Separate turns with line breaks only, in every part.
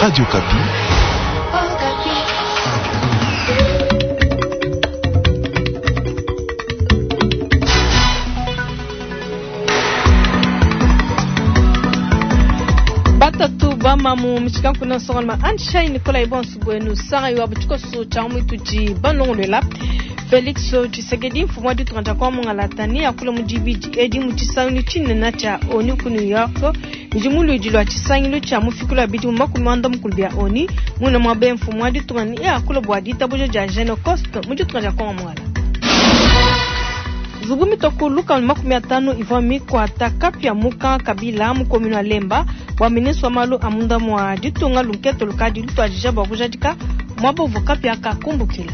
Radio Okapi.
Batatu bamamu mishikankuna nsongaluma Anshai Nikolai bonso buenu sanga iwabu tshikoso tshia muitudi balongolola Felix Tshisekedi mfumu wa ditunga dia kwa mungalata ne akula mu dibidi edi mu tshisangilu tshinene tshia ONU ku New York bidi mu luidi lua tshisangilu tshia mufikulu wa bidimu 40 bia ONU muna muaba mfumu wa ditunga ne akula bua ditabuja dia Genocost mu ditunga dia Kongo mungala. Nzubu mitoko lukama 50 ivua mikwata kapia muka kabila mu commune wa Lemba bua ministre wa malu a munda mua ditunga lunketo lukadi lutuadija bua kujadika muaba uvua kapia kakumbukila.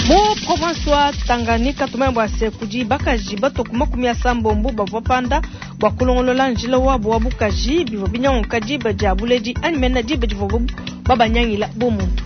Mu province wa Tanganyika tumanya bua se kudi bakaji batoko 80 bavua panda bua kulongolola njila wabo wa bukaji bivua binyanguka diba dia buledi anyi mena diba divua babanyangila bu muntu.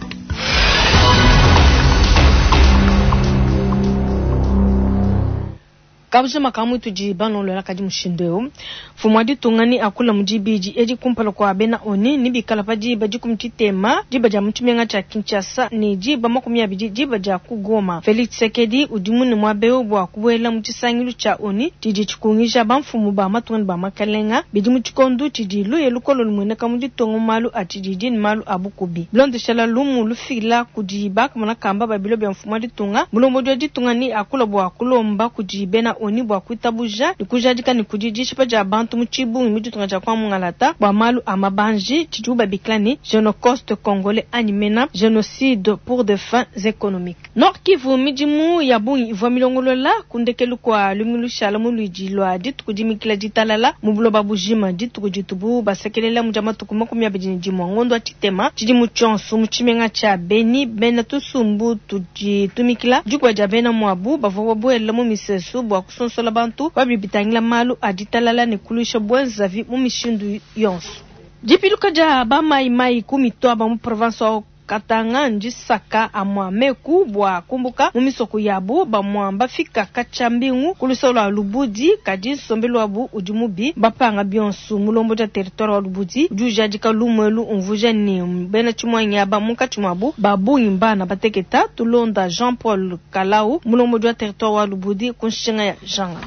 Kabujima ka muitudi balongolola kadi mushindu eu mfumu wa ditunga ni akula mu dibidi edi kumpala kua bena ONU ni bikala pa diba 13 diba dia mu tshimenga tshia Kinshasa ne diba 20 diba dia ku Goma. Felix Tshisekedi udi mune muaba eu bua kubuela mu tshisangilu tshia ONU tshidi tshikungija bamfumu ba matunga ne ba makalenga bidi mu tshikondo tshidi luya lukolo lumueneka mu ditunga mu malu a tshididi ne malu a bukubi. Bilondeshela lumu lufila kudi bakamona kamba ba bilo bia mfumu wa ditunga, mulombodi wa ditunga ni akula bua kulomba kudi bena ONU bua kuitabuja ne kujadika ne kudi dishipa dia bantu mu tshibungi mu ditunga dia kwa mungalata bua malu a mabanji tshidibu babikila ne Genocost congolais anyi mena génocide pour des fins économiques. Nord Kivu midimu ya bungi ivua milongolola ku ndekelu kua lumingu lushala mu luidi lua dituku dimikila ditalala mu buloba bujima dituku ditubu basekelela mu dia matuku 21 ngondo wa tshitema tshidimu tshionso mu tshimenga tshia Beni bena tusumbu tudi tumikila dikuba dia bena muabu bavua babuela mu misesu bua kusonsola bantu babi bitangila malu a ditalala ne kuluisha bwenzavi mu mishindu yonso. Dipiluka dia bamayimayi ku mitwaba mu province wa Katanga ndisaka amwa meku bua kumbuka mu misoko yabu bamwa bafika katshia mbingu ku lusolo lua Lubudi kadi nsombelu wabu udi mubi bapanga bionso. Mulombo dia territoire wa Lubudi udi ujadika lumuelu umvuja ne bena tshimwanyi aba munkatshi muabu babungi mbana bateketa. Tulonda Jean Paul Kalau mulombo dia territoire wa Lubudi ku nshinga ya Janga.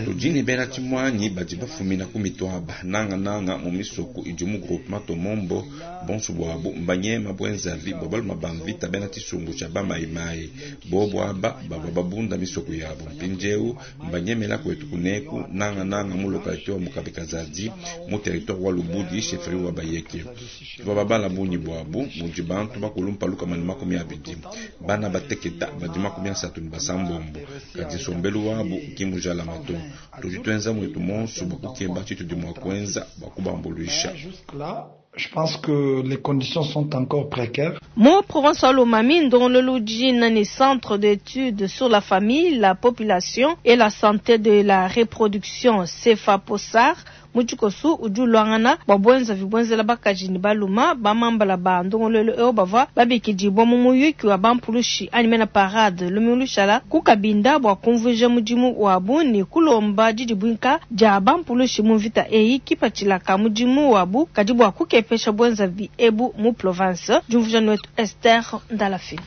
Tudi ne bena tshimwanyi badi bafumina ku mitwaba nanga nanga mu misoko idi mu groupement Tomombo bonso bwabu mbanyema bwenzavi bwa baluma ba mvita bena tshisumbu tshia bamayimayi bobo aba bavua babunda misoko yabo mpindieu mbanyemela kwetu kuneku nanga nanga mu localité wa Mukabekazadi mu territoire wa Lubudi chefferie wa Bayeke. Tuvua babala bungi bwabu mudi bantu bakulumpa lukama ne 20 bana bateketa badi 36 kadi nsombelu wabu ki mujalama to. Tudi tuenza mwetu monso bua kukeba tshitudi mua kuenza bua kubambuluisha.
Je pense que les conditions sont encore précaires.
Mu province wa Lomami ndongololu udi ne centre d'études sur la famille, la population et la santé de la reproduction CEFAPOSAR mu tshikosu udi ulwangana bua bwenzavi bwenzela bakaji ne baluma bamambala ba ndongololu eu bavua babikidibwa mu muyuki wa bampulushi anyi mena parade lumingu lushala ku Kabinda bua kumvuija mudimu wabu ne kulomba didibuinka dia bampulushi mu mvita eyi kipatshila ka mudimu wabu kadi bua kukepesha bwenzavi ebu mu province. Diumvuija netu Esther Ndalafina.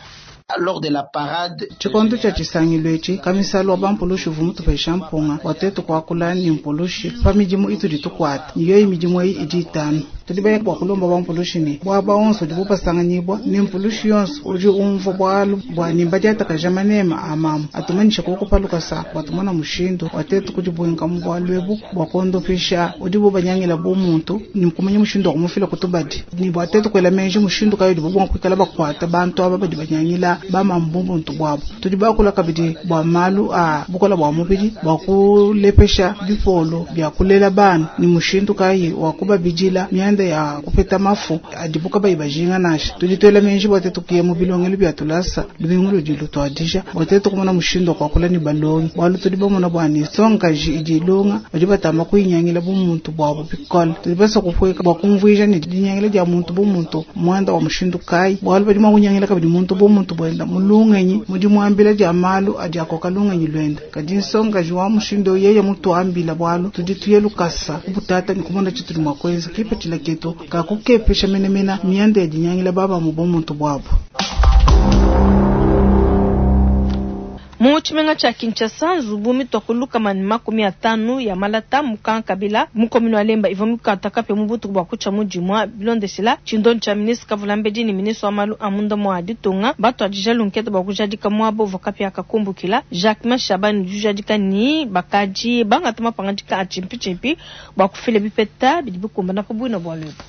Lors de la parade
tshikondo tshia tshisangilu etshi kamisalo wa bampulushi uvua mutupesha mpunga wa tuetu kuakula ne mpulushi pa midimu itudi tukuata ne yoyi midimu eyi idi itanu. Tudi baya bua kulomba bampulushi ne buaba onso udi bupasanganyibwa ne mpulushi yonso udi umvua bualu bua ne mbadiatakaja manema a mamu atumanyisha kuku lukasa bua tumona mushindu wa tuetu kudibuinka mu bualu ebu bua kuondopisha udi bubanyangila bu muntu ne kumanya mushindu wa kumufila kutubadi ne bua tuetu kuela menji mushindu kayi udi bubua kuikala bakuata bantu aba badi banyangila bamamu bu muntu buabu. Tudi bakula kabidi bua malu a bukola bua mubidi bua kulepesha bipolo bia kulela bana ne mushindu kayi wa kubabidila mianda ya kupeta mafu adibu kabayi bajinga nansha. Tudi tuela menji bua tuetu kuya mu bilongelu bia tulasa lumingu ludi lutuadija bua tuetu kumona mushindu wa kuakula ne balongi bualu tudi bamona bua ne nsongakaji idi ilonga badi batamba kuyinyangila bu muntu buabu bikole. Tudi basa kupueka bua kumvuija ne dinyangila dia muntu bu muntu muanda wa mushindu kayi bualu badi mua kunyangila kabidi muntu bu muntu buenda mu lungenyi mudi muambila dia malu adi akoka lungenyi luenda. Kadi nsongakaji wa mushindu yeye mutuambila bualu tudi tuye lukasa kubutata ne kumona tshitudi mua kuenza kipatshila ketu kakukepesha menemene mianda ya dinyangila bamamu bumuntu buabu.
Mu tshimenga tshia Kinshasa, nzubu mitua ku 150 ya malata mu Kankabila mu commune wa Lemba ivua mikata kapia mu butuku bua kutshia mu dimua. Bilondeshila tshindonyi tshia ministre Kavulambedi ne ministre wa malu a munda mua ditunga batuadija lunkete bua kujadika muaba uvua kapia kakumbukila. Jacquemain Shabani udi ujadika ne bakadi bangata mapangadika a tshimpitshimpi bua kufila bipeta bidi bikumbana pa buina bualu ebu.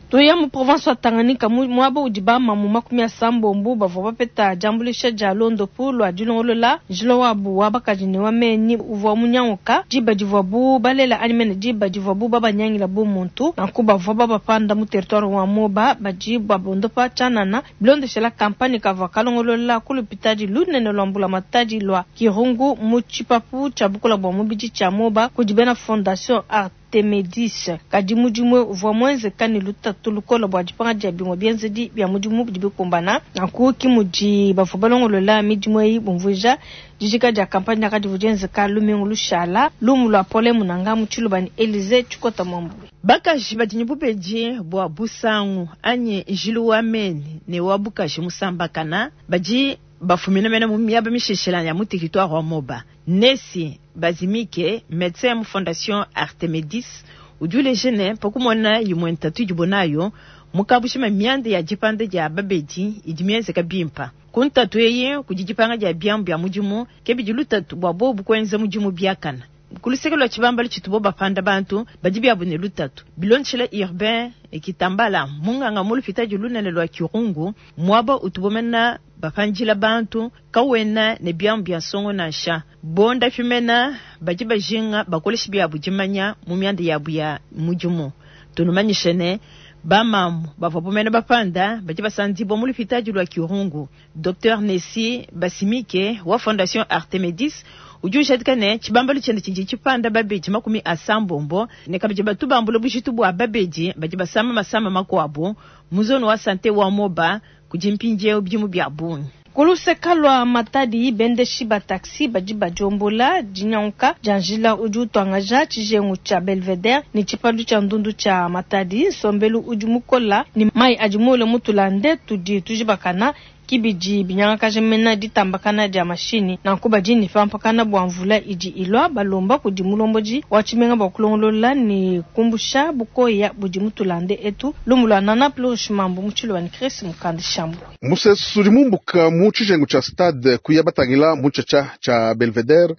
Tuya mu province wa Tanganyika muaba udi bamamu 80 bavua bapeta diambuluisha dia londopu lua dilongolola njila wabu wa bakaji ne wa menyi uvua munyanguka diba divuabu balela anyi mene diba divuabu babanyangila bu muntu. Nanku bavua babapanda mu territoire wa Moba badi babondopa tshianana bilondeshela kampanye kavua kalongolola ku lupitadi lunene lua mbulamatadi lua Kirungu mu tshipapu tshia bukola bua mubidi tshia Moba kudi bena Fondation Artemedis. Kadi mudimu uvua muenzeka ne lutatu lukola bua dipanga dia bimue bienzedi bia mudimu bidi bikumbana. Nanku ki mudi bavua balongolola midimu eyi bumvuija dijika dia kampanye kadivua dienzeka lumingu lushala. Lumu lua Paulin Munanga mu Tshiluba ne Elysee Tshikota Mwambu.
Bakaji badi ne bubedi bua busangu anyi njilu wa meni ne wa bukaji musambakana badi bafumina mena mu miaba misheshela ya mu territoire wa Moba. Nesi Bazimike, médecin mu Fondation Artemedis, udi uleja ne pakumona imue ntatu idibo nayo mukabushima mianda ya dipanda dia babedi idi mienzeka bimpa. Ku ntatu eyi kudi dipanga dia biamu bia mudimu ke bidi lutatu bua bobu kuenza mudimu biakana. Kuluseke lua tshibambalu tshitubo bapanda bantu badi biabu ne lutatu. Bilondeshela Urbain Kitambala munganga mu lupitadi lunene lua Kirungu muaba utubo mena bapandila bantu kawena ne biamu bia nsongo nansha bonda pimena badi bajinga bakoleshi biabu dimanya mu mianda yabu ya mudimu. Tunumanyishe ne bamamu bavua bomena bapanda badi basandibwa mu lupitadi lua Kirungu. Dr Nesi Basimike wa Fondation Artemedis udi ujadika ne tshibambalu tshiende tshidi tshipanda babedi 80 ne kabidi batu bambula bujitu bua babedi badi basama masama makuabu mu zone wa sante wa Moba kudi mpindieu bidimu bia bungi.
Kuluseka lua Matadi bendeshi ba taxi badi badiombola dinyanguka dia njila udi utuangaja tshijengu tshia Belvedere ne tshipandu tshia ndundu tshia Matadi. Nsombelu udi mukola ne mai adi muule mutulande tudi tujibakana kibidi binyangakaja mena ditambakana dia mashini. Nanku badi ne pampakana bua mvula idi ilua balomba kudi mulombodi wa tshimenga bua kulongolola ne kumbusha bukoya budi mutulande etu. Lumu lua Nana Plurish Mambu mu Tshiluba ne Chris Mukandi Shambu.
Musesu udi mumbuka mu tshijengu tshia stade kuya batangila mu tshatsha tshia Belvedere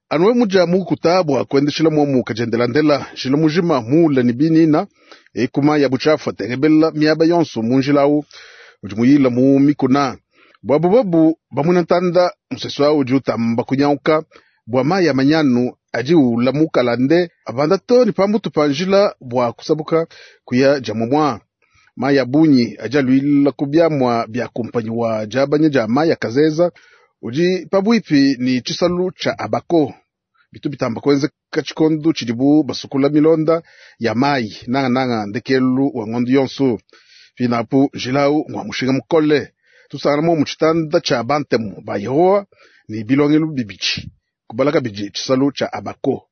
anuwe muja mukuta bua kuendeshela muomu kajendelandela njila mujima muula ne binina ekuma ya buchafu atengebela miaba yonso mu njila awu udi muyila mu mikuna bwabu babu bamuna ntanda musesu awu udi utamba kunyauka bua mayi ya manyanu adi ula mukalande abanda to ne pamutu pa njila bua kusabuka kuya dia momua. Mayi ya bunyi adi aluila ku biamua bia kumpanyi wa diabanya dia mayi ya Kazeza udi pabuipi ni tshisalu tshia Abako. Bitu bitamba kuenzeka tshikondo tshidibu basukula milonda ya mayi nangananga ndekelu wa ngondo yonso. Pinapu njilawu ngwa mushinga mukole tusangana mu tshitanda tshia bantemu ba Yehowa ni bilongelu bibidi kubalaka bidi tshisalu tshia Abako.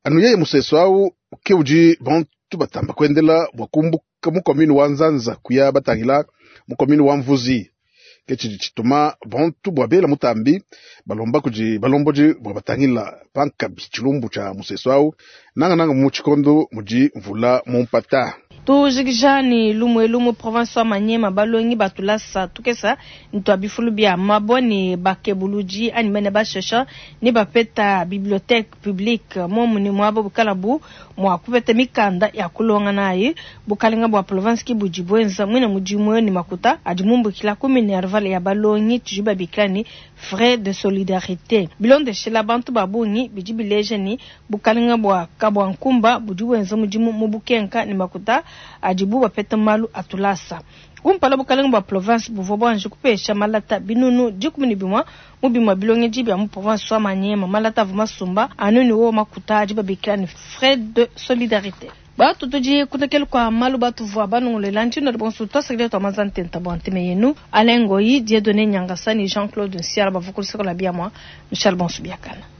Anu yeye musesu awu ke udi bantu batamba kuendela bua kumbuka mu commune wa Nzanza kuya batangila mu commune wa Mvuzi. Ke tshidi tshituma bantu bua bela mutambi balomba kudi balombodi bua batangila pankabi tshilumbu tshia musesu awu nangananga mu tshikondo mudi mvula mu mpata.
Tujikija ni lumwe mu province wa Maniema balongi batulasa tukesa ntwa bifulu bia mabo ni bakebuluji ani mene bashesha ni bapeta bibliothèque publique momu ni mwabo bukalabu mwa kupeta mikanda ya kulonga nayi bukalenga bua province ki budi bwenza mwina mudimu ni makuta adi mumbukila ku minerval ya balongi tujiba bikila ni frais de solidarité bilondeshela bantu babungi bidi bileja ni bukalenga bua kabwa nkumba budi bwenza mudimu mu bukenka ni makuta adibu bapeta malu atulasa. Kumpala bukalenga bua province buvua buanji kupesha malata binunu 11 mu bimue bilongedi bia mu province wa Maniema malata avua masumba anu ni wo makuta adi babikila ni frais de solidarité. Batu tudi kutekelu kwa malu batu vua banongolela ntino de bonso twasakile twa mazante ntabwa nteme yenu Alain Ngoyi, Dieudonné Nyangasani, Jean-Claude Nsiala bavukuliseko la bia mwa Michel Bonso Biakana.